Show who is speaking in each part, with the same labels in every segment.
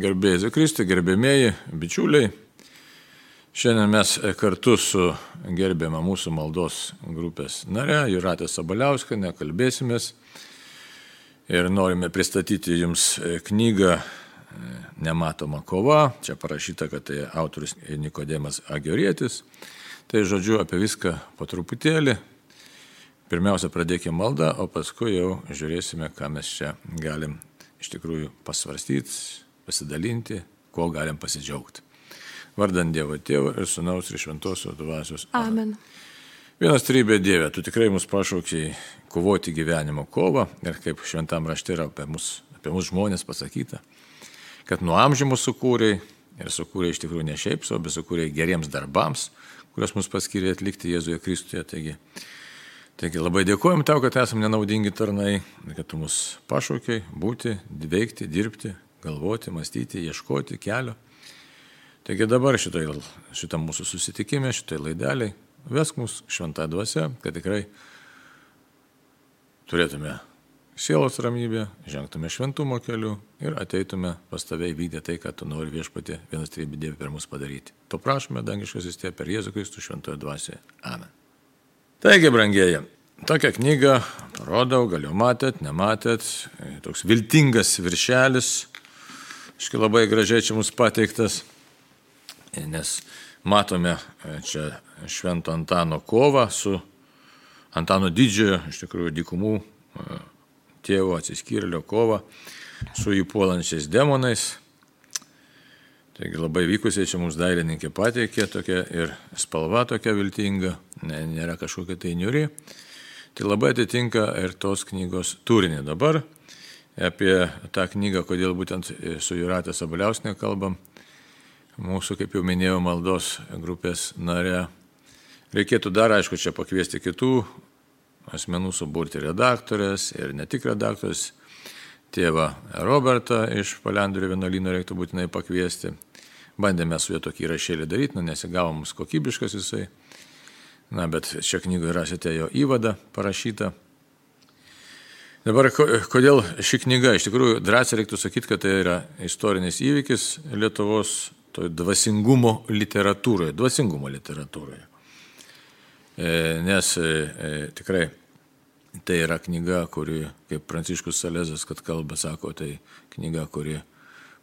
Speaker 1: Gerbėjai Kristui, gerbėmieji, bičiuliai. Šiandien mes kartu su gerbiama mūsų maldos grupės nare Jūrate Sabaliauskiene kalbėsimės ir norime pristatyti jums knygą Nematoma kova. Čia parašyta, kad tai autorius Nikodemas Agorietis. Tai žodžiu apie viską po truputėlį. Pirmiausia, pradėkime maldą, o paskui jau žiūrėsime, ką mes čia galim iš tikrųjų pasvarstyti, pasidalinti, kuo galim pasidžiaugti. Vardant Dievo Tėvo ir Sūnaus ir Šventosios Dvasios.
Speaker 2: Amen.
Speaker 1: Vienas trybė Dieve, tu tikrai mus pašaukiai kovoti gyvenimo kovą ir kaip šventam rašte yra apie mus žmonės pasakyta, kad nuo amžių mus sukūrei ir sukūrei iš tikrųjų ne šiaip, bet sukūrei geriems darbams, kuriuos mus paskyrė atlikti Jėzuje Kristuje. Taigi labai dėkojom tau, kad esame nenaudingi tarnai, kad tu mus pašaukiai būti, veikti, dirbti, galvoti, mąstyti, ieškoti kelio. Taigi dabar šitam mūsų susitikime, šitai laideliai, vesk mus šventą dvasią, kad tikrai turėtume sielos ramybę, žengtume šventumo keliu ir ateitume pas tave įvykdę tai, kad tu nori Viešpatie vienas trybė Dieve per mus padaryti. To prašome, dangiškasis Tėve, per Jėzų Kristų šventoje dvasioje. Amen. Taigi, brangieji, tokią knygą parodau, gal jau matėt, nematėt, toks viltingas viršelis, labai gražiai čia mums pateiktas. Nes matome čia Švento Antano kovą su Antano Didžiojo, iš tikrųjų dykumų tėvo atsiskyrėlio kovą su jį puolančiais demonais. Taigi labai vykusiai čia mums dailininkė pateikė tokia ir spalva tokia viltinga, nėra kažkokia tai niuri. Tai labai atitinka ir tos knygos turinį. Dabar apie tą knygą, kodėl būtent su Jūrate Sabaliauskiene kalbam. Mūsų, kaip jau minėjau, maldos grupės nare. Reikėtų dar, aišku, čia pakviesti kitų asmenų, suburti redaktorės ir ne tik redaktorės. Tėvą Robertą iš Palendrių vienuolyno reiktų būtinai pakviesti. Bandėme su juo tokį įrašėlį daryti, nesigavo mums kokybiškas jisai. Bet šią knygą rasite jo įvadą parašytą. Dabar, kodėl ši knyga? Iš tikrųjų, drąsiai reiktų sakyti, kad tai yra istorinis įvykis Lietuvos dvasingumo literatūroje. Nes tikrai tai yra knyga, kuri, kaip Pranciškus Salezas, kad kalba, sako, tai knyga, kuri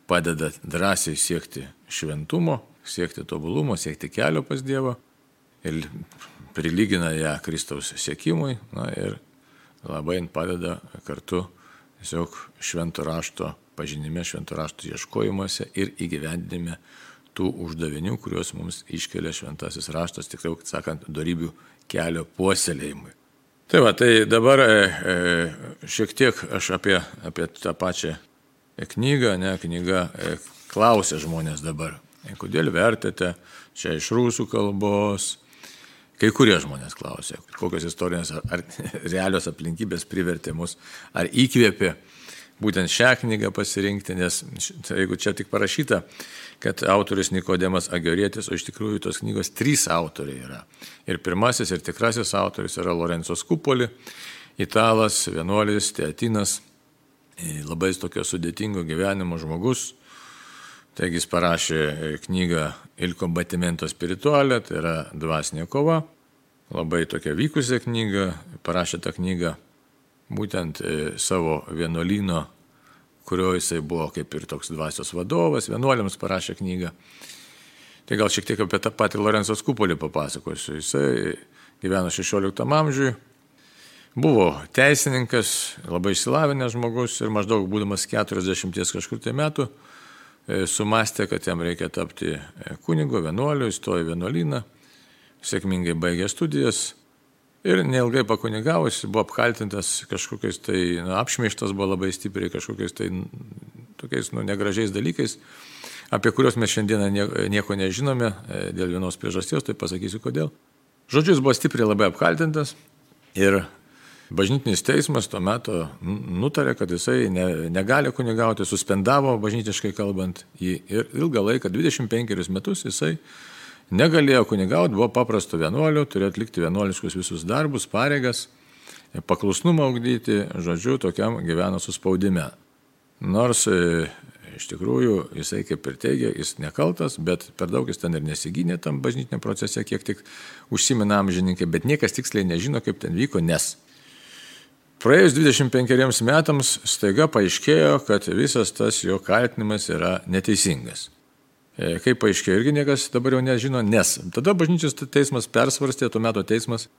Speaker 1: padeda drąsiai siekti šventumo, siekti tobulumo, siekti kelio pas Dievą ir prilygina ją Kristaus siekimui ir labai padeda kartu tiesiog švento rašto pažinime, švento rašto ieškojimuose ir įgyvendinime tų uždavinių, kuriuos mums iškelia šventasis raštas, tikrai, sakant, dorybių kelio puoselėjimui. Tai dabar šiek tiek aš apie tą pačią knygą, knyga klausia žmonės dabar, kodėl vertėte čia iš rusų kalbos. Kai kurie žmonės klausia, kokios istorinės ar realios aplinkybės privertė mus, ar įkvėpė būtent šią knygą pasirinkti, nes jeigu čia tik parašyta, kad autorius Nikodemas Agorietis, o iš tikrųjų tos knygos 3 autoriai yra. Ir pirmasis ir tikrasis autorius yra Lorenzo Scupoli, italas, vienuolis, teatinas, labai tokio sudėtingo gyvenimo žmogus. Taigi jis parašė knygą Il combattimento spirituale, tai yra dvasinė kova. Labai tokia vykusią knygą, parašė tą knygą būtent savo vienuolyno, kurio jisai buvo kaip ir toks dvasios vadovas, vienuoliams parašė knygą. Tai gal šiek tiek apie tą patį Lorenzo Scupoli papasakosiu. Jisai gyveno 16 amžiuje, buvo teisininkas, labai išsilavinęs žmogus ir maždaug būdamas 40 kažkur tai metų sumastė, kad jam reikia tapti kunigu, vienuoliu, įstojo į vienuolyną, sėkmingai baigė studijas. Ir neilgai pakunigavus, buvo apkaltintas kažkokiais tai, apšmeižtas buvo labai stipriai kažkokiais tai tokiais negražiais dalykais, apie kuriuos mes šiandieną nieko nežinome dėl vienos priežasties, tai pasakysiu kodėl. Žodžiu, jis buvo stipriai labai apkaltintas ir bažnytinis teismas tuo metu nutarė, kad jisai negali kunigauti, suspendavo bažnytiškai kalbant jį ir ilgą laiką, 25 metus jisai negalėjo kunigauti, buvo paprasto vienuolio, turėjo atlikti vienuoliškus visus darbus, pareigas, paklusnumą ugdyti, žodžiu, tokiam gyveno suspaudime. Nors Iš tikrųjų, jisai kaip ir teigia, jis nekaltas, bet per daug jis ten ir nesigynė tam bažnytiniam procese, kiek tik užsimena amžininkai, bet niekas tiksliai nežino, kaip ten vyko, nes praėjus 25 metams staiga paaiškėjo, kad visas tas jo kaltinimas yra neteisingas. Kaip paaiškėjo, irgi niekas dabar jau nežino, nes tada bažnyčios teismas persvarstė, tuo metu teismas,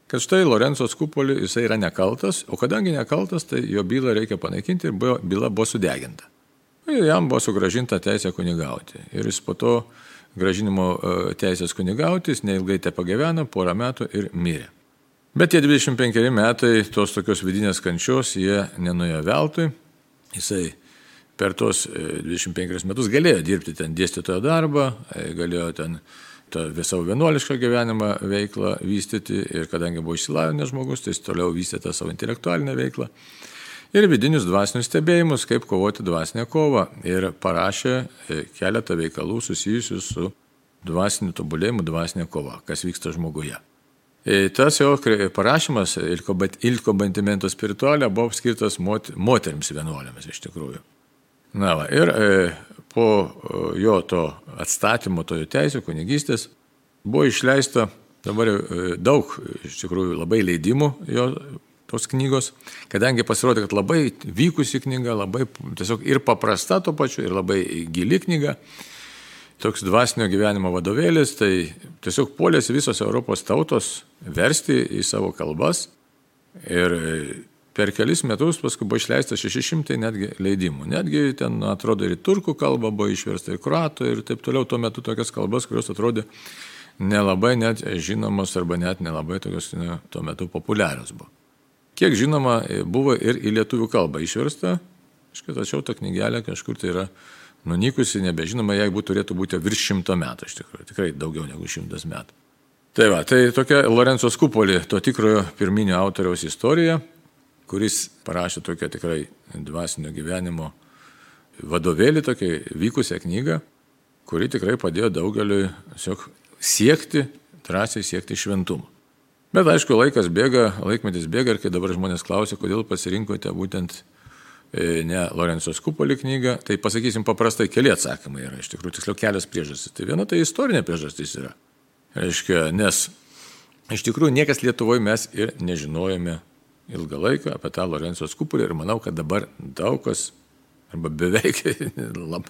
Speaker 1: kad štai Lorenzo Scupoli jisai yra nekaltas, o kadangi nekaltas, tai jo bylą reikia panaikinti ir byla buvo sudeginta. Ir jam buvo sugražinta teisė kunigauti. Ir jis po to gražinimo teisės kunigauti, jis neilgai te pagyveno, porą metų ir mirė. Bet tie 25 metai tos tokios vidinės kančios, jie nenuėjo veltui. Jisai per tos 25 metus galėjo dirbti ten dėstytojo darbą, galėjo ten savo vienuolišką gyvenimą veiklą vystyti ir kadangi buvo išsilavinęs žmogus, tai jis toliau vystė tą savo intelektualinę veiklą ir vidinius dvasinius stebėjimus, kaip kovoti dvasinę kovą ir parašė keletą veikalų susijusių su dvasiniu tobulėjimu, dvasinė kova, kas vyksta žmoguje. Tas jo parašymas Il Combattimento Spirituale buvo skirtas moterims vienuolėmis iš tikrųjų. Na va, ir po jo to atstatymo, to teisų, kunigystės, buvo išleista dabar daug, iš tikrųjų, labai leidimų jo tos knygos, kadangi pasirodė, kad labai vykusi knyga, labai tiesiog ir paprasta to pačiu, ir labai gili knyga, toks dvasinio gyvenimo vadovėlis, tai tiesiog puolėsi visos Europos tautos versti į savo kalbas ir per kelis metus paskui buvo išleista 600 netgi leidimų. Netgi ten, atrodo, ir turkų kalba buvo išversta, ir kroatų, ir taip toliau. Tuo metu tokias kalbas, kurios atrodė nelabai net žinomos arba net nelabai tokios tuo metu populiarios buvo. Kiek žinoma, buvo ir į lietuvių kalbą išversta, tačiau ta knygelė kažkur tai yra nunykusi, nebežinoma, jeigu turėtų būti virš 100 metų, iš tikrųjų, tikrai daugiau negu 100 metų. Tai va, tai tokia Lorenzo Scupoli, to tikrojo pirminio autoriaus istorija, kuris parašė tokią tikrai dvasinio gyvenimo vadovėlį, tokią vykusią knygą, kuri tikrai padėjo daugeliui siekti, drąsiai siekti šventumo. Bet aišku, laikmetis bėga ir kai dabar žmonės klausia, kodėl pasirinkote būtent ne Lorenzo Scupoli knygą, tai pasakysim paprastai, keli atsakymai yra, iš tikrųjų, tiksliau kelios priežastys. Tai viena tai istorinė priežastis yra. Reiškia, nes iš tikrųjų niekas Lietuvoje mes ir nežinojome ilgą laiką apie tą Lorenzo Scupoli ir manau, kad dabar daug kas, arba beveik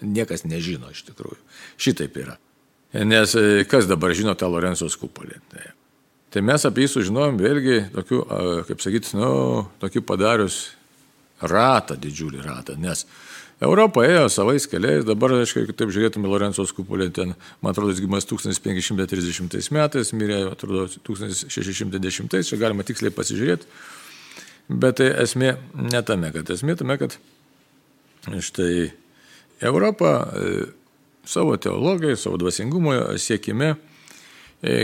Speaker 1: niekas nežino iš tikrųjų. Šitaip yra. Nes kas dabar žino tą Lorenzo Scupoli? Tai mes apie jį sužinojom vėlgi tokiu, kaip sakyti, tokiu padarius ratą, didžiulį ratą, nes Europa ėjo savais keliais, dabar, aišku, taip žiūrėtume Lorenzo Scupoli, ten, man atrodo, jis gimas 1530 metais, mirė, atrodo, 1610, čia galima tiksliai pasižiūrėti, bet tai esmė ne tame, kad štai Europa savo teologijai, savo dvasingumo siekime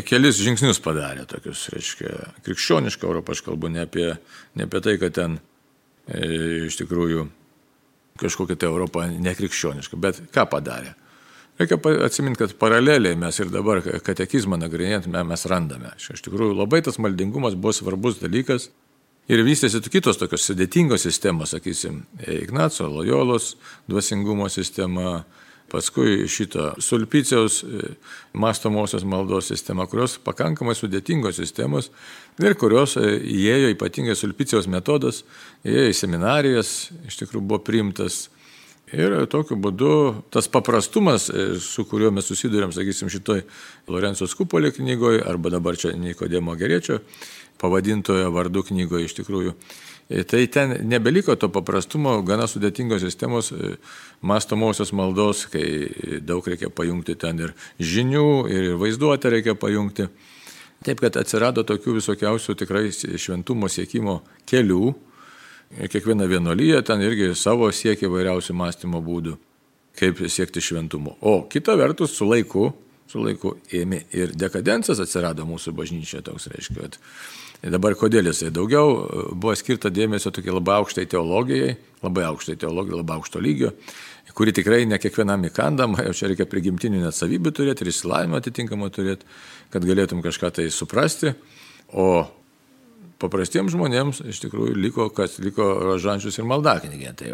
Speaker 1: kelis žingsnius padarė tokius, reiškia, krikščionišką Europą, aš kalbu ne apie tai, kad ten iš tikrųjų kažkokia tai Europa nekrikščioniška, bet ką padarė? Reikia atsiminti, kad paraleliai mes ir dabar katekizmą nagrinėjant mes randame. Iš tikrųjų labai tas maldingumas buvo svarbus dalykas ir vystėsi kitos tokios sudėtingos sistemos, sakysim, Ignaco Lojolos dvasingumo sistema, paskui šito Sulpiciaus mąstomosios maldos sistema, kurios pakankamai sudėtingos sistemos ir kurios įėjo ypatingai Sulpiciaus metodas, įėjo į seminarijas, iš tikrųjų buvo priimtas. Ir tokiu būdu tas paprastumas, su kuriuo mes susidurėm, sakysim, šitoj Lorenzo Scupoli knygoje, arba dabar čia Nikodemo Geriečio pavadintojo vardu knygoje iš tikrųjų, tai ten nebeliko to paprastumo, gana sudėtingos sistemos mąstomosios maldos, kai daug reikia pajungti ten ir žinių, ir vaizduotę reikia pajungti. Taip, kad atsirado tokių visokiausių tikrai šventumo siekimo kelių. Kiekviena vienuolyja ten irgi savo siekia vairiausių mąstymo būdų, kaip siekti šventumo. O kita vertus, su laiku ėmė ir dekadencijas atsirado mūsų bažnyčioje, toks reiškia. Dabar kodėl jisai daugiau buvo skirta dėmesio tokiai labai aukštai teologijai, labai aukšto lygio, kuri tikrai ne kiekvienam įkandama, jau čia reikia prigimtinių net savybių turėti ir išsilavinimą atitinkamą turėti, kad galėtum kažką tai suprasti, o paprastiems žmonėms iš tikrųjų liko rožančius ir maldaknygė. Tai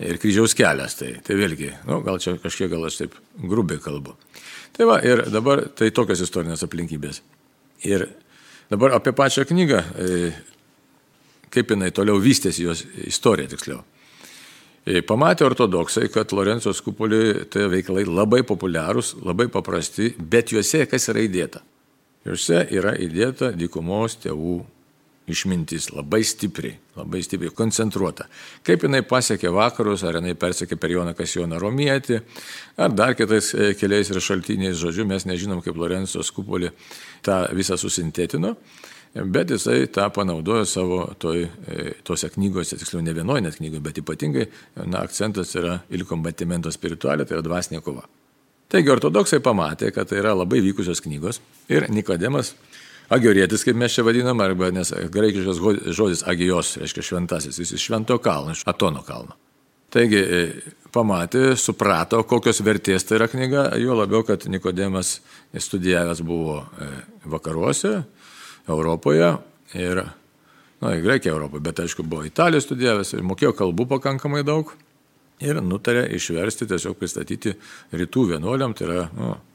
Speaker 1: ir kryžiaus kelias. Tai vėlgi, gal čia kažkiek gal aš taip grubiai kalbu. Tai va, ir dabar tai tokios istorinės aplinkybės. Ir dabar apie pačią knygą, kaip jinai toliau vystėsi, jos istorija tiksliau. Pamatė ortodoksai, kad Lorenco Scupoli tai veikalai labai populiarūs, labai paprasti, bet juose kas yra įdėta? Juose yra įdėta dykumos tėvų išmintis, labai stipriai, koncentruota. Kaip jinai pasiekė vakarus, ar jinai persekė per Joną Kasijoną Romietį, ar dar kitais keliais ir šaltiniais, žodžiu, mes nežinom, kaip Lorenco Scupoli tą visą susintetino. Bet jisai tą panaudojo savo tose knygose, tiksliau ne vienoje net knygoje, bet ypatingai akcentas yra il combattimento spirituale, tai yra dvasinė kova. Taigi ortodoksai pamatė, kad tai yra labai vykusios knygos ir Nikodemas Agorietis, kaip mes čia vadinam, arba nes graikiškas žodis agijos, reiškia šventasis, jis iš švento kalno, iš Atono kalno. Taigi pamatė, suprato, kokios vertės tai yra knyga, jo labiau, kad Nikodemas studijavęs buvo vakaruose, Europoje ir, Graikijoje Europoje, bet aišku buvo Italijoje studijavęs ir mokėjo kalbų pakankamai daug ir nutarė išversti, tiesiog pristatyti rytų vienuoliam, tai yra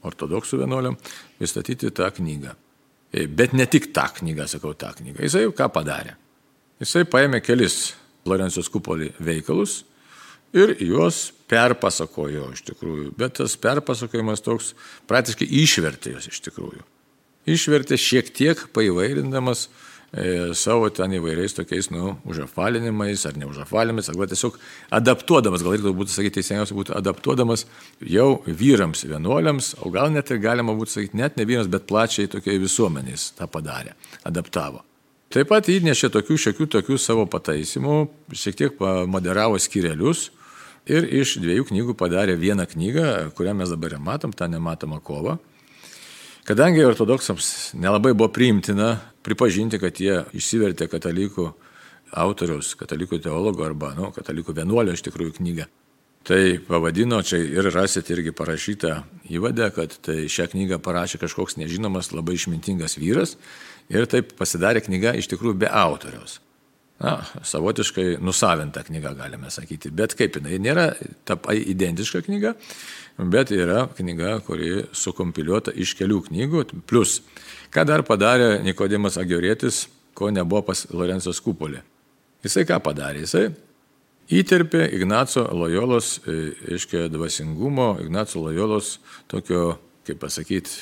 Speaker 1: ortodoksų vienuoliam, pristatyti tą knygą. Bet ne tik tą knygą, tą knygą. Jisai ką padarė? Jisai paėmė kelis Lorenco Scupoli veikalus ir juos perpasakojo iš tikrųjų, bet tas perpasakojimas toks praktiškai išvertė juos iš tikrųjų. Išvertė šiek tiek paįvairindamas savo ten įvairiais tokiais, užafalinimais ar neužafalinimais, arba tiesiog adaptuodamas, gal reikėtų būtų sakyti, teisingiausia būtų adaptuodamas jau vyrams vienuoliams, o gal net ir galima būtų sakyti, net ne vyrams, bet plačiai tokiai visuomeniais tą padarė, adaptavo. Taip pat įnešė tokių savo pataisimų, šiek tiek moderavo skyrelius ir iš 2 knygų padarė vieną knygą, kurią mes dabar ir matom, tą nematomą kovą. Kadangi ortodoksams nelabai buvo priimtina pripažinti, kad jie išsivertė katalikų autoriaus, katalikų teologo arba katalikų vienuolio iš tikrųjų knygą, tai pavadino, čia ir rasit irgi parašytą įvadę, kad tai šią knygą parašė kažkoks nežinomas, labai išmintingas vyras ir taip pasidarė knyga iš tikrųjų be autoriaus. Savotiškai nusavinta knyga, galime sakyti, bet kaip jinai nėra identiška knyga, bet yra knyga, kuri sukompiliuota iš kelių knygų, plus, ką dar padarė Nikodemas Agorietis, ko nebuvo pas Lorenco Scupoli. Jisai ką padarė? Jisai įterpė Ignaco Lojolos, dvasingumo, Ignaco Lojolos tokio, kaip pasakyti,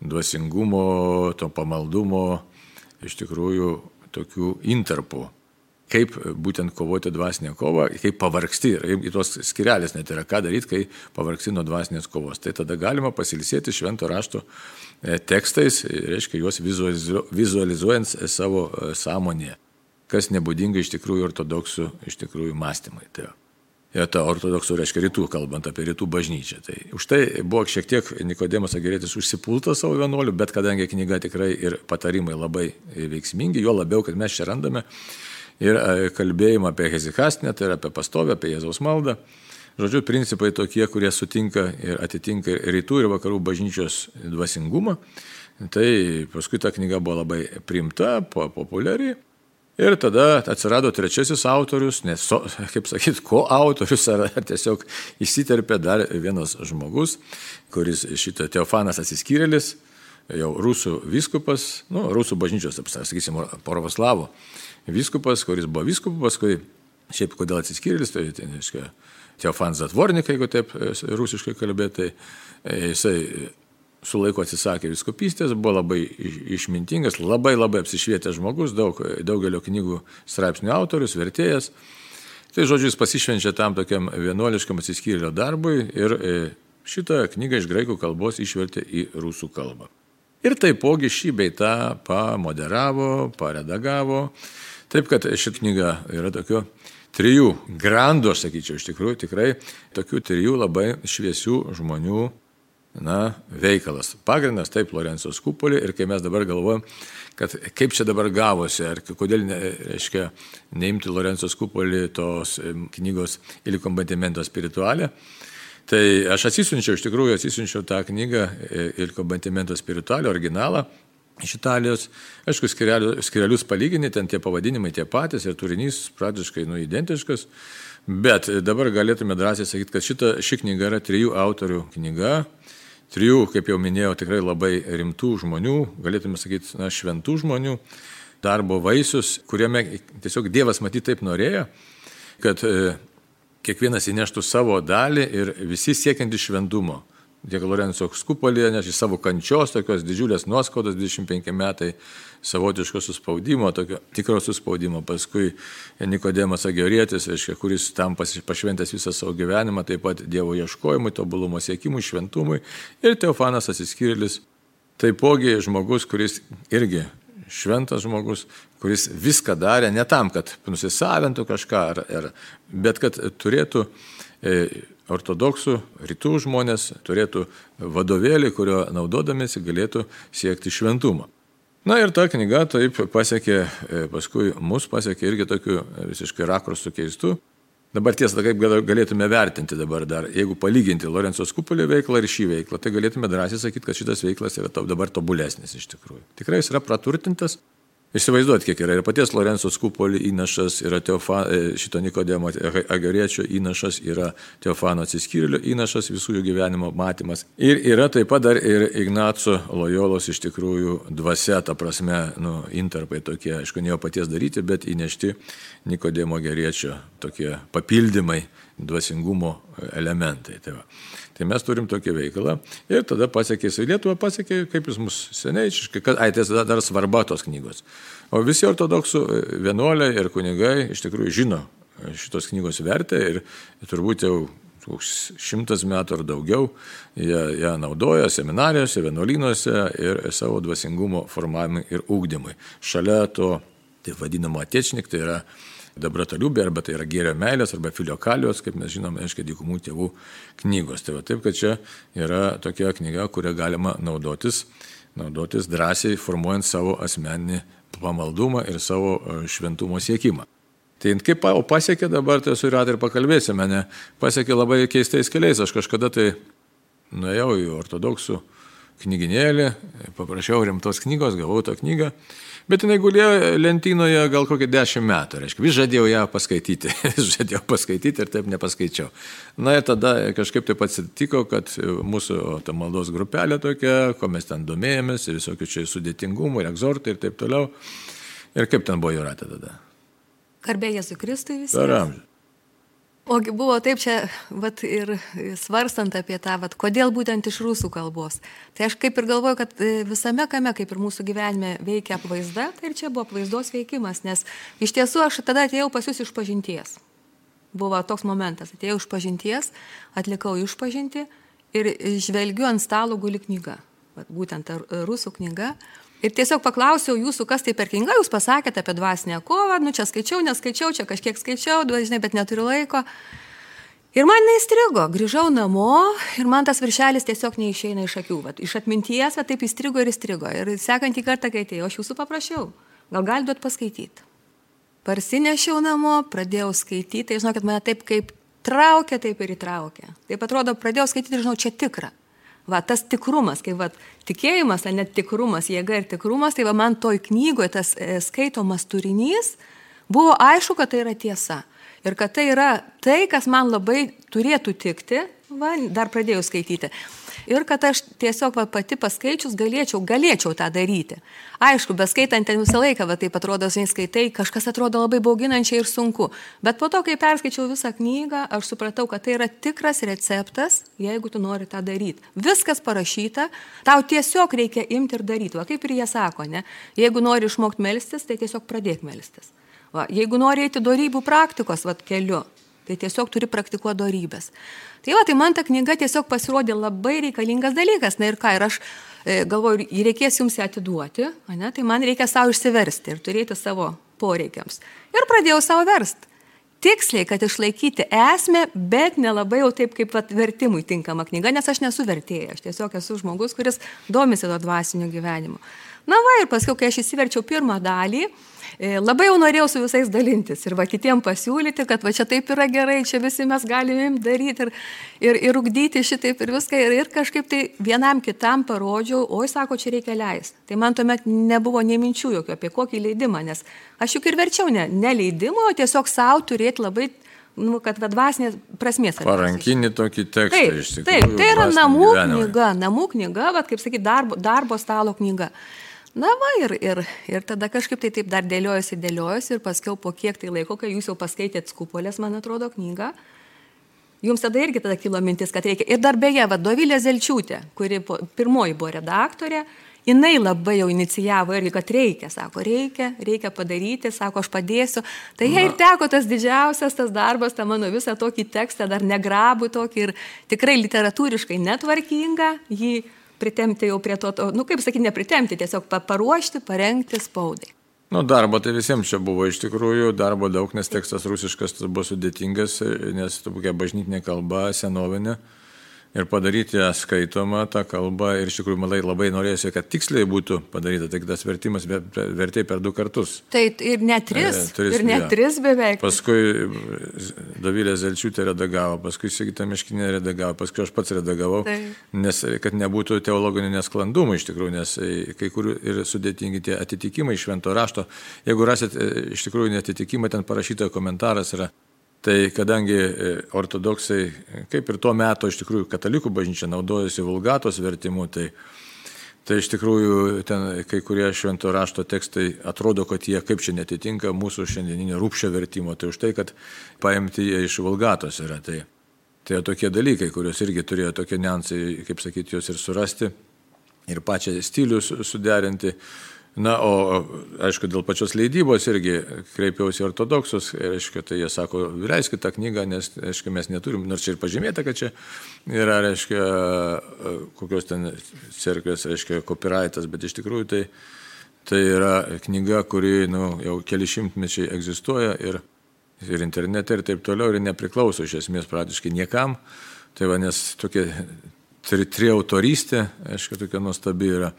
Speaker 1: dvasingumo, to pamaldumo, iš tikrųjų tokių interpų. Kaip būtent kovoti dvasinę kovą, kaip pavargsti, ir tos skirelės net yra, ką daryti, kai pavargsti nuo dvasinės kovos. Tai tada galima pasilsėti švento rašto tekstais, reiškia juos vizualizuojant savo sąmonėje, kas nebūdinga iš tikrųjų ortodoksų mąstymai. Tai ta ortodoksų reiškia rytų, kalbant apie rytų bažnyčią. Tai už tai buvo šiek tiek Nikodemas Agorietis užsipultas savo vienuolių, bet kadangi knyga tikrai ir patarimai labai veiksmingi, jo labiau, kad mes čia randame ir kalbėjimą apie hezikastinę, tai yra apie pastovę, apie Jėzaus maldą. Žodžiu, principai tokie, kurie sutinka ir atitinka rytų ir vakarų bažnyčios dvasingumą. Tai paskui ta knyga buvo labai priimta, populiari. Ir tada atsirado trečiasis autorius, nes, kaip sakyti, autorius, ar tiesiog įsiterpė dar vienas žmogus, kuris šitą Teofanas Atsiskyrėlis, jau rusų vyskupas, rusų bažnyčios, sakysim, pravoslavų vyskupas, kuris buvo vyskupas, paskui, šiaip kodėl Atsiskyrėlis, tai reiškia Teofanas Zatvornik, jeigu taip rusiškai kalbėti, tai jisai su laiku atsisakė vyskupystės, buvo labai išmintingas, labai apsišvietęs žmogus, daugelio knygų straipsnių autorius, vertėjas. Tai žodžiu, jis pasišvenčia tam tokiam vienuoliškam atsiskyrėlio darbui ir šitą knygą iš graikų kalbos išvertė į rusų kalbą. Ir taipogi šį bei tą pamoderavo, paredagavo. Taip, kad ši knyga yra tokių 3 grandų, aš sakyčiau, iš tikrųjų tikrai tokių 3 labai šviesių žmonių veikalas. Pagrindas taip Lorenco Scupoli ir kai mes dabar galvojam, kad kaip čia dabar gavosi, ar kodėl neimti Lorenco Scupoli tos knygos Il combattimento spirituale, tai aš atsisiunčiau tą knygą Il combattimento spirituale, originalą iš Italijos. Aišku, skirelius palyginti, ten tie pavadinimai tie patys ir turinys praktiškai identiškas, Bet dabar galėtume drąsiai sakyti, kad ši knyga yra 3 autorių knyga, 3, kaip jau minėjau, tikrai labai rimtų žmonių, galėtume sakyti, šventų žmonių, darbo vaisius, kuriame tiesiog Dievas matyt taip norėjo, kad kiekvienas įneštų savo dalį ir visi siekiantys šventumo. Tiek Lorenzo Skupolėje nešė savo kančios, tokios didžiulės nuoskaudos, 25 metai savotiško suspaudimo, tokio tikro suspaudimo. Paskui Nikodemas Agiorietis, kuris tam pašventęs visą savo gyvenimą, taip pat Dievo ieškojimui, tobulumo siekimui, šventumui. Ir Teofanas Atsiskyrėlis, taipogi žmogus, kuris irgi šventas žmogus, kuris viską darė ne tam, kad nusisavintų kažką, bet kad turėtų ortodoksų rytų žmonės, turėtų vadovėlį, kurio naudodamėsi galėtų siekti šventumą. Na ir ta knyga taip pasiekė, paskui mus pasiekė irgi tokiu visiškai rakursų keistų. Dabar tiesa, kaip galėtume vertinti dabar dar, jeigu palyginti Lorenzo Skupolio veiklą ir šį veiklą, tai galėtume drąsiai sakyti, kad šitas veiklas yra dabar tobulesnis iš tikrųjų. Tikrai jis yra praturtintas. Įsivaizduot, kiek yra ir paties Lorenzo Skupolio įnašas, yra šito Nikodemo Agioriečio įnašas, yra Teofano Atsiskyrėlio įnašas, visų jų gyvenimo matymas. Ir yra taip pat dar ir Ignaco Lojolos iš tikrųjų dvasia, ta prasme, intarpai tokie, aišku, ne jo paties daryti, bet įnešti Nikodemo Agioriečio tokie papildymai, dvasingumo elementai. Tai mes turim tokį veikalą ir tada pasiekė į Lietuvą, pasiekė, kaip jis mus seniai, tai dar svarba tos knygos. O visi ortodoksų vienuoliai ir kunigai iš tikrųjų žino šitos knygos vertę ir turbūt jau 100 metų ar daugiau ją naudoja seminarijose, vienuolynuose ir savo dvasingumo formavimui ir ugdymui. Šalia to, tai vadinamo atečnik, tai yra Dabrataliubė, arba tai yra Gėrio meilės, arba Filiokalijos, kaip mes žinome, dykumų tėvų knygos. Tai va taip, kad čia yra tokia knyga, kurią galima naudotis drąsiai, formuojant savo asmeninį pamaldumą ir savo šventumo siekimą. Tai kaip pasiekė dabar, tai su Jūrate ir pakalbėsime, pasiekė labai keistais keliais. Aš kažkada tai nuėjau į ortodoksų knyginėlį, paprašiau rimtos knygos, gavau tą knygą. Bet jinai gulėjo lentynoje gal kokį 10 metų, reiškia, vis žadėjau ją paskaityti ir taip nepaskaičiau. Na ir tada kažkaip taip atsitiko, kad mūsų ta maldos grupelė tokia, ko mes ten domėjomės, visokių čia sudėtingumų, ir egzortai ir taip toliau. Ir kaip ten buvo Jūrate tada?
Speaker 2: Garbė Jėzui Kristui visi.
Speaker 1: Per amžių.
Speaker 2: Ogi buvo taip čia, ir svarstant apie tą, kodėl būtent iš rusų kalbos. Tai aš kaip ir galvoju, kad visame kame, kaip ir mūsų gyvenime veikia apvaizda, tai ir čia buvo apvaizdos veikimas, nes iš tiesų aš tada atėjau pas jūs išpažinties. Buvo toks momentas, atėjau išpažinties, atlikau išpažinti ir žvelgiu ant stalo guli knyga, būtent rusų knyga. Ir tiesiog paklausiau jūsų, kas tai per knyga, jūs pasakėte apie dvasinę kovą, čia skaičiau, neskaičiau, čia kažkiek skaičiau, bet neturiu laiko. Ir man neįstrigo, grįžau namo ir man tas viršelis tiesiog neišeina iš akių. Iš atminties, taip įstrigo ir įstrigo. Ir sekantį kartą, kai atėjau, aš jūsų paprašiau, gal gali duot paskaityti. Parsinešiau namo, pradėjau skaityti, tai žinau, kad mane taip kaip traukia, taip ir įtraukia. Taip atrodo, pradėjau skaityti ir žinau, čia tikra. Tas tikrumas, kai tikėjimas, net tikrumas, jėga ir tikrumas, tai man toj knygoje tas skaitomas turinys buvo aišku, kad tai yra tiesa. Ir kad tai yra tai, kas man labai turėtų tikti, dar pradėjau skaityti. Ir kad aš tiesiog pati paskaičius galėčiau tą daryti. Aišku, beskaitant ten visą laiką, taip atrodo, skaitai, kažkas atrodo labai bauginančiai ir sunku. Bet po to, kai perskaičiau visą knygą, aš supratau, kad tai yra tikras receptas, jeigu tu nori tą daryti. Viskas parašyta, tau tiesiog reikia imti ir daryti. Kaip ir jie sako, ne? Jeigu nori išmokti melstis, tai tiesiog pradėk melstis. Jeigu nori eiti dorybų praktikos keliu, tai tiesiog turi praktikuoti dorybės. Tai man ta knyga tiesiog pasirodė labai reikalingas dalykas. Na ir ką, ir aš galvoju, reikės jums ją atiduoti, tai man reikia savo išsiversti ir turėti savo poreikiams. Ir pradėjau savo versti. Tiksliai, kad išlaikyti esmę, bet nelabai jau taip kaip vertimui tinkama knyga, nes aš nesu vertėja, aš tiesiog esu žmogus, kuris domisi to dvasiniu gyvenimu. Ir paskui, kai aš įsiverčiau pirmą dalį, labai jau norėjau su visais dalintis ir kitiem pasiūlyti, kad čia taip yra gerai, čia visi mes galime daryti ir ugdyti šitaip ir viską. Ir kažkaip tai vienam kitam parodžiau, sako, čia reikia leisti. Tai man tuomet nebuvo nei minčių jokių apie kokį leidimą, nes aš juk ir verčiau ne leidimo, o tiesiog savo turėti labai kad dvasinės prasmės.
Speaker 1: Parankinį tokį tekstą
Speaker 2: taip,
Speaker 1: iš tikrųjų.
Speaker 2: Taip, tai yra
Speaker 1: namų
Speaker 2: knyga, kaip sakyti, darbo stalo knyga. Na va, ir tada kažkaip tai taip dar dėliojosi ir paskiau po kiek tai laiko, kai jūs jau paskaitėt Skupolės, man atrodo, knygą, jums tada irgi kilo mintis, kad reikia. Ir dar beje, Dovilė Zelčiūtė, kuri pirmoji buvo redaktorė, jinai labai jau inicijavo irgi, kad reikia padaryti, sako, aš padėsiu. Tai jai ir teko tas didžiausias tas darbas, tą mano visą tokį tekstą, dar negrabų tokį ir tikrai literatūriškai netvarkingą, jį pritemti jau prie to, kaip sakyti, nepritemti, tiesiog paruošti, parengti spaudai.
Speaker 1: Darbo tai visiems čia buvo iš tikrųjų, darbo daug, nes tekstas rusiškas buvo sudėtingas, nes tokia bažnytinė kalba, senovinė. Ir padaryti ją skaitomą tą kalbą ir iš tikrųjų labai norėjusi, kad tiksliai būtų padaryta, tai tas vertimas vertė per 2 kartus.
Speaker 2: Tai ir net 3 beveik.
Speaker 1: Paskui Dovilė Zelčiūtė redagavo, paskui Sigita Miškinė redagavo, paskui aš pats redagavau, nes kad nebūtų teologinių nesklandumų iš tikrųjų, nes kai kurių ir sudėtingi tie atitikimai švento rašto. Jeigu rasit iš tikrųjų netitikimai, ten parašytojo komentaras yra. Tai kadangi ortodoksai, kaip ir tuo metu iš tikrųjų katalikų bažnyčia naudojasi vulgatos vertimu, tai iš tikrųjų ten kai kurie švento rašto tekstai atrodo, kad jie kaip čia netitinka mūsų šiandieninio Rupšio vertimo, tai už tai, kad paimti jie iš vulgatos yra. Tai tokie dalykai, kurios irgi turėjo tokie niuansai, kaip sakyti, jos ir surasti ir pačią stilių suderinti. Na, o aišku, dėl pačios leidybos irgi kreipiausi ortodoksus, reiškia, tai jie sako, leiskit tą knygą, nes, reiškia, mes neturim, nors čia ir pažymėta, kad čia yra, reiškia, kokios ten cerkvės, reiškia, copyrightas, bet iš tikrųjų tai yra knyga, kuri jau keli šimtmečiai egzistuoja ir internete ir taip toliau ir nepriklauso iš esmės praktiškai niekam. Tai va, nes tokia triautorystė, aišku, tokia nuostabi yra.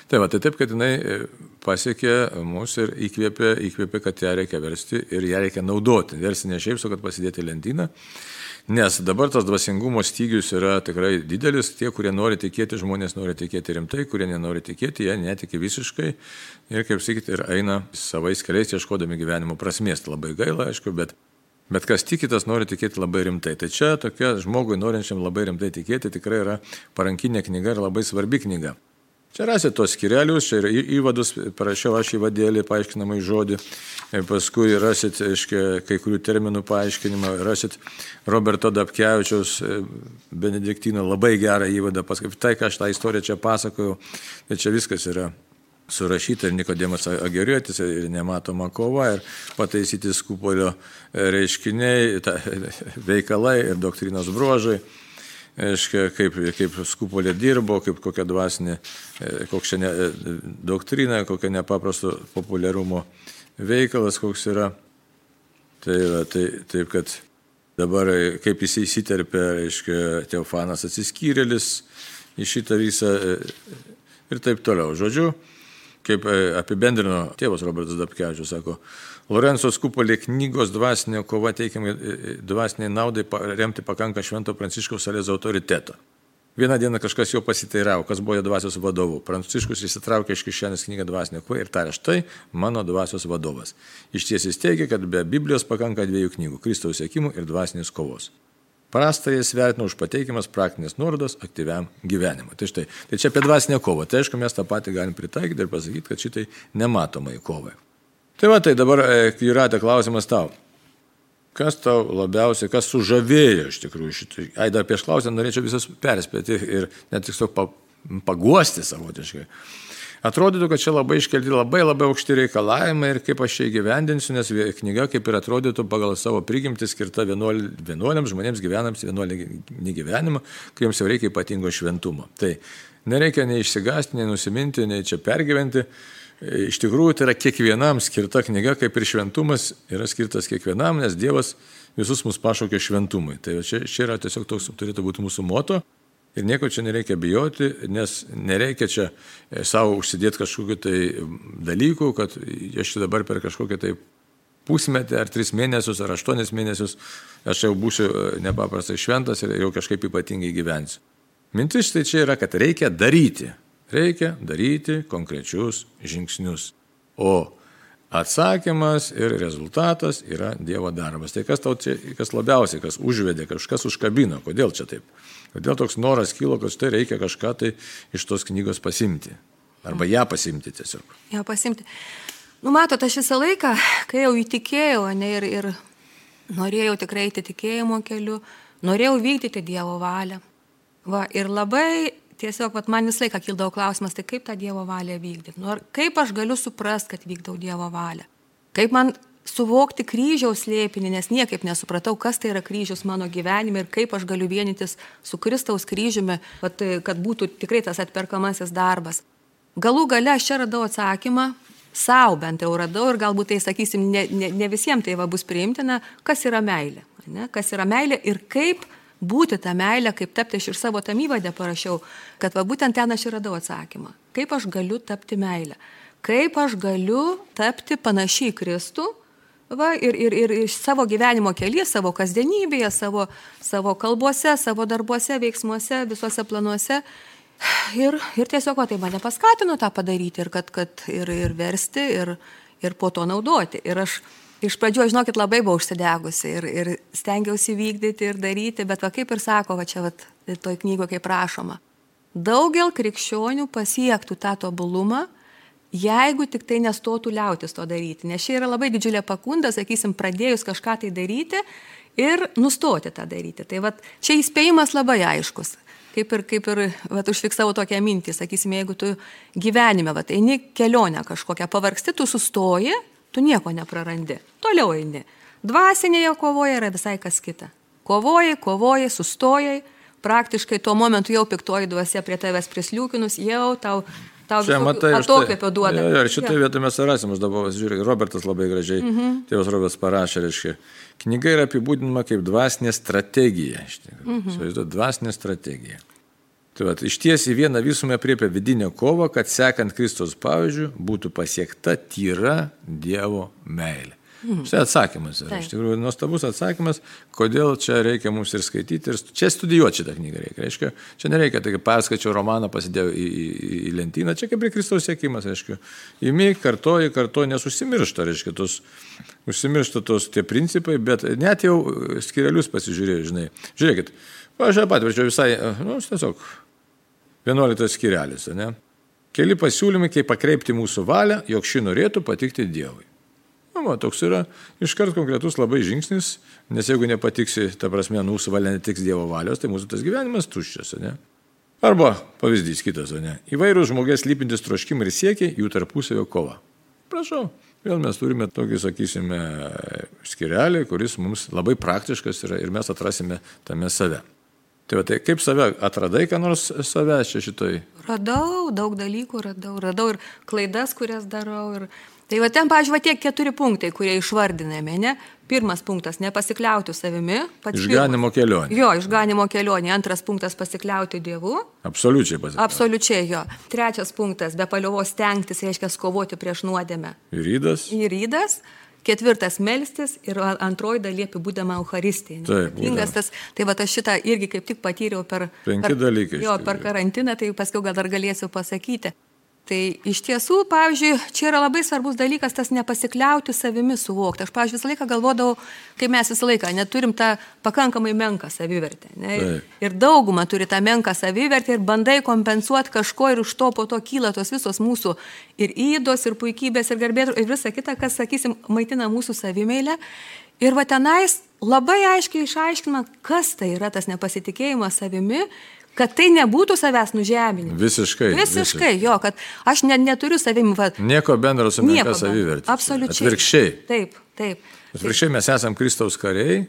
Speaker 1: Tai taip, kad jinai pasiekė mus ir įkvėpė, kad ją reikia versti ir ją reikia naudoti. Versti ne šiaip, kad pasidėti lentyną, nes dabar tas dvasingumo stygius yra tikrai didelis. Tie, kurie nori tikėti, žmonės nori tikėti rimtai, kurie nenori tikėti, jie netiki visiškai ir, kaip sakyti, ir eina savais keliais ieškodami gyvenimo prasmės. Labai gaila, aišku, bet kas tiki, tas nori tikėti labai rimtai. Tai čia tokia žmogui norinčiam labai rimtai tikėti tikrai yra parankinė knyga ir labai svarbi knyga. Čia rasit tos skyrelius, čia ir įvadus, parašiau aš įvadėlį, paaiškinamai žodį, paskui rasit, aiškiai, kai kurių terminų paaiškinimą, rasit Roberto Dabkevičiaus benediktino labai gerą įvadą, paskui tai, ką aš tą istoriją čia pasakojau, tai čia viskas yra surašyta ir Nikodemas Ageriotis, ir nematoma kova, ir pataisyti Skupolio reiškiniai, veikalai ir doktrinos bruožai. Kaip Skupolė dirbo, kaip kokia dvasinė, kokia doktrina, kokia nepaprasto populiarumo veikalas, koks yra. Taip, kad dabar kaip jis įsiterpė, Teofanas atsiskyrėlis į šitą visą ir taip toliau. Žodžiu, kaip apibendrino tėvas Robertas Dabkevičius, sako, Lorenco Skupolė knygos dvasinė kova teikiamai dvasiniai naudai remti pakanka Švento Pranciškaus Salezio autoriteto. Vieną dieną kažkas jo pasiteiravo, kas buvo jo dvasios vadovu. Pranciškus įsitraukė iš kišenės knygą dvasinė kova ir tarė, štai mano dvasios vadovas. Išties jis teigia, kad be Biblijos pakanka 2 knygų – Kristaus sekimų ir dvasinės kovos. Prastąją svertina už pateikiamas praktinės nuorodos aktyviam gyvenimui. Tai štai, tai čia apie dvasinę kovą. Tai aišku, mes tą patį galim pritaikyti ir pasakyti, kad šitai nematomai kovai. Tai dabar, Jūrate, klausimas tau. Kas tau labiausiai, kas sužavėjo iš tikrųjų šitai? Dar prieš klausimą norėčiau visus perspėti ir net tiesiog paguosti savotiškai. Atrodytų, kad čia labai iškelti labai aukšti reikalavimai ir kaip aš čia įgyvendinsiu, nes knyga kaip ir atrodytų pagal savo prigimtį skirta vienuoliams žmonėms gyvenams vienuolinį gyvenimą, kuriems jau reikia ypatingo šventumo. Tai nereikia nei išsigąsti, nei nusiminti, nei čia pergyventi. Iš tikrųjų, tai yra kiekvienam skirta knyga, kaip ir šventumas yra skirtas kiekvienam, nes Dievas visus mus pašaukė šventumui. Tai čia yra tiesiog toks turėtų būti mūsų moto ir nieko čia nereikia bijoti, nes nereikia čia savo užsidėti kažkokiu tai dalykų, kad aš čia dabar per kažkokią tai pusmetį ar 3 mėnesius ar 8 mėnesius aš jau būsiu nepaprastai šventas ir jau kažkaip ypatingai gyvensiu. Mintis tai čia yra, kad reikia daryti konkrečius žingsnius. O Atsakymas ir rezultatas yra Dievo darbas. Tai kas tau čia, kas labiausiai, kas užvedė, kažkas užkabino, kodėl čia taip? Kodėl toks noras kilo, kad štai reikia kažką tai iš tos knygos pasimti? Arba ją pasimti tiesiog.
Speaker 2: Ją pasimti. Matot, aš visą laiką, kai jau įtikėjau, ir norėjau tikrai eiti tikėjimo keliu, norėjau vykdyti Dievo valią. Ir labai tiesiog, man visą laiką kildavo klausimas, tai kaip tą Dievo valią vykdyti? Kaip aš galiu suprasti, kad vykdau Dievo valią? Kaip man suvokti kryžiaus slėpinį, nes niekaip nesupratau, kas tai yra kryžius mano gyvenime ir kaip aš galiu vienytis su Kristaus kryžiumi, kad būtų tikrai tas atperkamasis darbas. Galų gale aš čia radau atsakymą, sau bent jau radau ir galbūt tai, sakysim, ne visiems tai bus priimtina, kas yra meilė. Ne? Kas yra meilė ir kaip būti tą meilę, kaip tapti, aš ir savo tam įvadę parašiau, kad būtent ten aš ir radau atsakymą. Kaip aš galiu tapti meilę? Kaip aš galiu tapti panašiai į Kristų ir savo gyvenimo kelyje, savo kasdienybėje, savo kalbose, savo darbuose, veiksmuose, visuose planuose. Ir tiesiog tai mane paskatino tą padaryti ir versti ir po to naudoti. Ir aš iš pradžių, žinokit, labai buvau užsidegusi ir stengiausi vykdyti ir daryti, bet kaip ir sako, toj knygoje kaip rašoma, daugel krikščionių pasiektų tą tobulumą, jeigu tik tai nestotų liautis to daryti. Nes čia yra labai didžiulė pagunda, sakysim, pradėjus kažką tai daryti ir nustoti tą daryti. Tai čia įspėjimas labai aiškus. Kaip ir užfiksavo tokią mintį, sakysim, jeigu tu gyvenime, eini kelionę kažkokią, pavargsti, tu sustoji, tu nieko neprarandi. Toliau eini. Dvasinėje kovoje yra visai kas kita. Kovoji, sustojai, praktiškai tuo momentu jau piktoji dvasia prie tavęs prisliūkinus, jau tau atokvėpio duoda.
Speaker 1: Ir šitoje vietoje mes rasim, aš dabar žiūrėjau, Robertas labai gražiai, tėvas Robertas parašė, reiškia, knyga yra apibūdinama kaip dvasinė strategija. Dvasinė strategija. Tai išties į vieną visumą apriepia vidinę kovą, kad sekant Kristaus pavyzdžiu būtų pasiekta tyra Dievo meilė. Štai atsakymas yra. Iš tikrųjų, nuostabus atsakymas, kodėl čia reikia mums ir skaityti, ir čia studijuoti šitą knygą reikia. Reiškia, čia nereikia, tai perskaičiau romaną, pasidėjau į lentyną, čia kaip ir Kristaus siekimas, reiškia. Imi, kartoji, nes užsimiršta, reiškia, tie principai, bet net jau skirelius pasižiūrėjau, žinai. Žiūrėkit, aš patvirčiau visai, tiesiog 11 skirelis, ne? Keli pasiūlymai, kaip pakreipti mūsų valią, jog ši norėtų patikti Dievui. Toks yra iškart konkretus labai žingsnis, nes jeigu nepatiksi, ta prasme, mūsų valia netiks Dievo valios, tai mūsų tas gyvenimas tuščias, ne? Arba pavyzdys kitas, ne? Įvairūs žmogės lypintis troškimai ir siekiai, jų tarpusavio kova. Prašau, vėl mes turime tokį, sakysime, skirelį, kuris mums labai praktiškas yra ir mes atrasime tame save. Tai kaip save atradai, ką nors save čia šitoj?
Speaker 2: Radau, daug dalykų radau ir klaidas, kurias darau. Tai ten, pavyzdžiui, tie 4 punktai, kurie išvardinami, ne? Pirmas punktas – nepasikliauti savimi.
Speaker 1: Išganimo kelionė.
Speaker 2: Jo, išganimo kelionė. Antras punktas – pasikliauti Dievu.
Speaker 1: Absoliučiai pasikliauti.
Speaker 2: Absoliučiai, jo. Trečias punktas – be paliovos stengtis, reiškia kovoti prieš nuodėmę. Įrydas. Ketvirtas – melstis ir antroji dalyje apibūdama Eucharistija.
Speaker 1: Taip.
Speaker 2: Tai aš šitą irgi kaip tik patyriau per karantiną, tai paskiau gal dar galėsiu pasakyti. Tai iš tiesų, pavyzdžiui, čia yra labai svarbus dalykas tas nepasikliauti savimi suvokti. Aš, pavyzdžiui, visą laiką galvodavau, kai mes visą laiką neturim tą pakankamai menką savivertę. Ne? Ir dauguma turi tą menką savivertę ir bandai kompensuoti kažko ir už to po to kyla tos visos mūsų ir įdos, ir puikybės, ir garbės, ir visa kita, kas, sakysim, maitina mūsų savimeilę. Ir tenais labai aiškiai išaiškinama, kas tai yra tas nepasitikėjimas savimi, kad tai nebūtų savęs nužeminimas.
Speaker 1: Visiškai,
Speaker 2: jo, kad aš neturiu savimi.
Speaker 1: Nieko bendro su menka savivertė.
Speaker 2: Absoliučiai.
Speaker 1: Atvirkščiai.
Speaker 2: Taip.
Speaker 1: Atvirkščiai mes esam Kristaus kariai,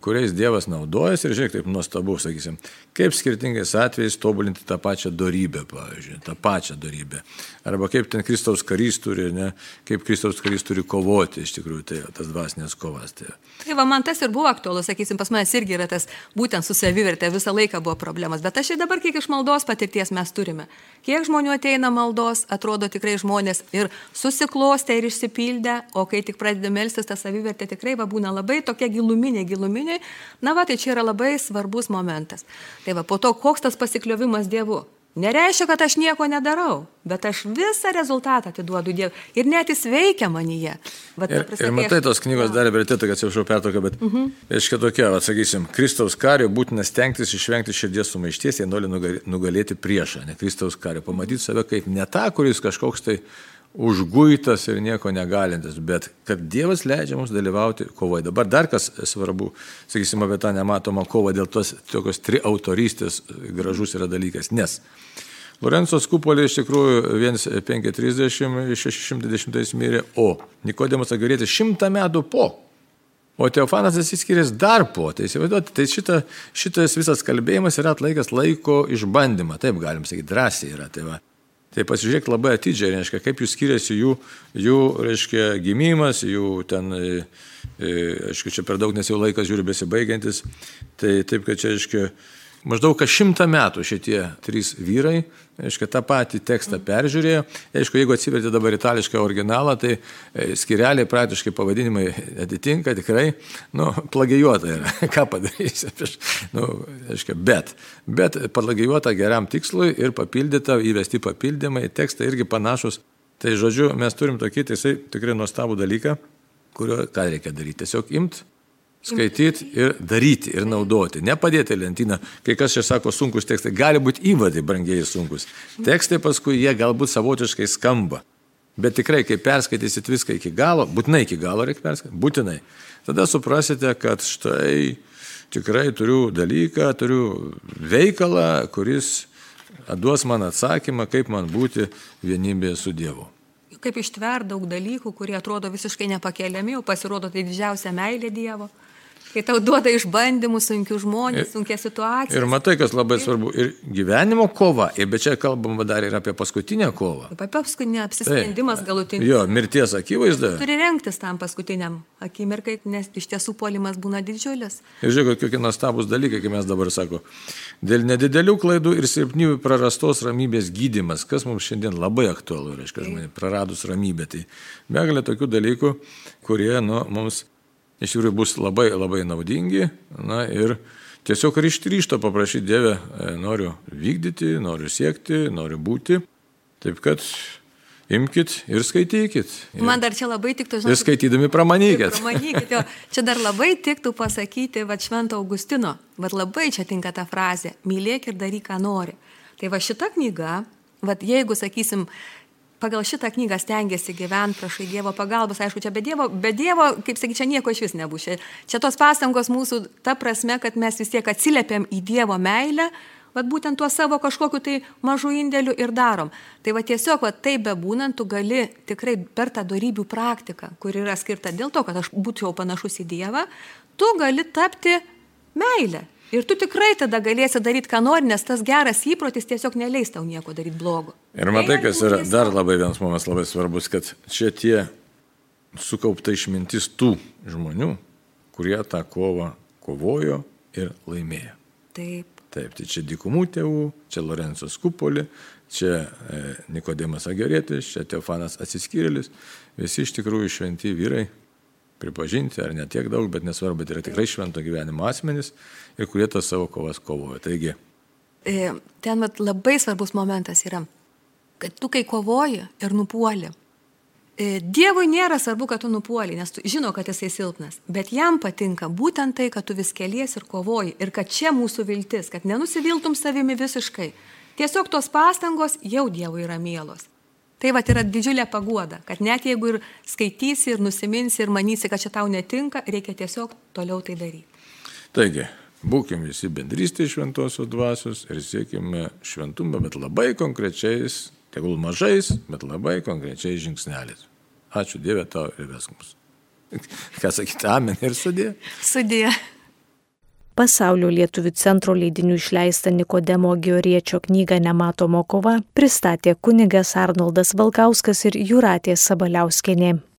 Speaker 1: kuriais Dievas naudojasi ir žiūrėk, taip nuostabu, sakysim, kaip skirtingais atvejais tobulinti tą pačią dorybę, pavyzdžiui, tą pačią dorybę. Arba kaip ten Kristaus karys turi, ne, kaip Kristaus karys turi kovoti, iš tikrųjų, tai tas dvasinės kovas.
Speaker 2: Tai man tas ir buvo aktualus, sakysim, pas manęs irgi yra tas būtent su savivertė, visą laiką buvo problemas, bet aš ir dabar kiek iš maldos patirties mes turime. Kiek žmonių ateina maldos, atrodo tikrai žmonės ir susiklostę ir išsipildę, o kai tik pradeda melstis, ta savivertė tikrai būna labai tokia giluminė. Tai čia yra labai svarbus momentas. Tai po to, koks tas pasikliovimas Dievu. Nereiškia, kad aš nieko nedarau, bet aš visą rezultatą atiduodu Dievui. Ir net jis veikia manyje.
Speaker 1: Ir matai, tos knygos dar vertėtų, kad atsiprašau pertrauką, bet reiškia tokia, sakysim, Kristaus kario būtina stengtis išvengti širdies sumaišties, jei nori nugalėti priešą, ne Kristaus kario. Pamatyti save kaip ne tą, kuris kažkoks tai užguitas ir nieko negalintis, bet kad Dievas leidžia mums dalyvauti kovoje. Dabar dar kas svarbu, sakysim, apie tą nematomą kovą dėl tos tokios triautorystės gražus yra dalykas, nes Lorenzo Skupolė iš tikrųjų 1530, 610 mirė, o Nikodemas Agorietis 100 metų po, o Teofanas atsiskyręs dar po. Tai įsivaizduoti, tai šitas visas kalbėjimas yra atlaikęs laiko išbandymą, taip galim sakyti, drąsiai yra. Tai pasižiūrėk labai atidžiai, reiškia, kaip jų skiriasi jų reiškia, gimimas, jų ten, aišku, čia per daug, nes jau laikas žiūri besibaigiantis, tai taip, kad čia, reiškia, maždaug kas 100 metų šitie 3 vyrai, aišku, tą patį tekstą peržiūrėjo. Aišku, jeigu atsiverti dabar itališką originalą, tai skireliai praktiškai pavadinimai atitinka tikrai, plagijuota yra. Ką padarysi? Aišku, bet plagijuota geram tikslui ir papildyta, įvesti papildymai, tekstai irgi panašus. Tai žodžiu, mes turim tokį tikrai nuostabų dalyką, kurio ką reikia daryti. Tiesiog skaityti ir daryti ir naudoti. Nepadėti lentyną. Kai kas čia sako sunkus tekstai, gali būti įvadai brangiai sunkus. Tekstai paskui jie galbūt savotiškai skamba. Bet tikrai, kai perskaitysit viską iki galo, būtinai iki galo reikia perskaityti, būtinai. Tada suprasite, kad štai tikrai turiu dalyką, turiu veikalą, kuris duos man atsakymą, kaip man būti vienybėje su Dievu.
Speaker 2: Kaip ištver daug dalykų, kurie atrodo visiškai nepakeliami, o pasirodo tai didžiausia meilė Dievo. Kai tau duoda išbandymų, sunkių žmonės, sunkia situacija.
Speaker 1: Ir matai, kas labai svarbu, ir gyvenimo kova, bet čia kalbama dar ir apie paskutinę kovą.
Speaker 2: Apie paskutinę apsisprendimas galutinis.
Speaker 1: Jo, mirties akivaizda.
Speaker 2: Turi rengtis tam paskutiniam akimirkai, nes iš tiesų puolimas būna didžiulis.
Speaker 1: Ir žiūrėk, kokie nuostabūs dalykai, kaip mes dabar sako. Dėl nedidelių klaidų ir silpnybių prarastos ramybės gydymas, kas mums šiandien labai aktualu, reiškia žmonė, praradus ramybę. Tai begalė tokių dalykų, kurie mums iš tikrųjų bus labai, labai naudingi, ir tiesiog ryžto paprašyti Dievę, noriu vykdyti, noriu siekti, noriu būti, taip kad imkit ir skaitykit.
Speaker 2: Man dar čia labai tiktų, žinot,
Speaker 1: ir skaitydami pramanykit.
Speaker 2: Pramanykit, jo. Čia dar labai tiktų pasakyti, Švento Augustino, labai čia tinka ta frazė, mylėk ir daryk, ką nori. Tai šita knyga, jeigu, sakysim, pagal šitą knygą stengiasi gyventi, prašai Dievo pagalbos, aišku, čia be Dievo, kaip sakyti, čia nieko iš vis nebus. Čia tos pastangos mūsų ta prasme, kad mes vis tiek atsiliepiam į Dievo meilę, būtent tuo savo kažkokiu tai mažų indėlių ir darom. Tai tiesiog, taip bebūnant, tu gali tikrai per tą dorybių praktiką, kur yra skirta dėl to, kad aš būčiau panašus į Dievą, tu gali tapti meilę. Ir tu tikrai tada galėsi daryti, ką nori, nes tas geras įprotis tiesiog neleis tau nieko daryti blogo.
Speaker 1: Ir matai, kas yra dar labai vienas momentas labai svarbus, kad čia tie sukaupta išmintis tų žmonių, kurie tą kovą kovojo ir laimėjo.
Speaker 2: Taip,
Speaker 1: tai čia Dykumų tėvų, čia Lorenzo Skupolė, čia Nikodemas Agorietis, čia Teofanas Atsiskyrėlis, visi iš tikrųjų šventi vyrai. Pripažinti, ar ne tiek daug, bet nesvarbu, bet yra tikrai švento gyvenimo asmenys ir kurie tas savo kovas kovoja. Taigi.
Speaker 2: Ten labai svarbus momentas yra, kad tu kai kovoji ir nupuoli. Dievui nėra svarbu, kad tu nupuoli, nes tu žino, kad jisai silpnas, bet jam patinka būtent tai, kad tu vis kelies ir kovoji ir kad čia mūsų viltis, kad nenusiviltum savimi visiškai. Tiesiog tos pastangos jau Dievui yra mielos. Tai yra didžiulė paguoda, kad net jeigu ir skaitysi, ir nusiminsi, ir manysi, kad čia tau netinka, reikia tiesiog toliau tai daryti.
Speaker 1: Taigi, būkim visi bendrystėje šventosios dvasios ir siekime šventumą, bet labai konkrečiais, tegul mažais, bet labai konkrečiais žingsneliais. Ačiū Dieve tau ir vesk mus. Ką sakyti, amen ir sudie?
Speaker 2: Sudie.
Speaker 3: Pasaulio lietuvių centro leidinių išleistą Nikodemo Agoriečio knygą Nematoma kova pristatė kunigas Arnoldas Valkauskas ir Jūratė Sabaliauskienė.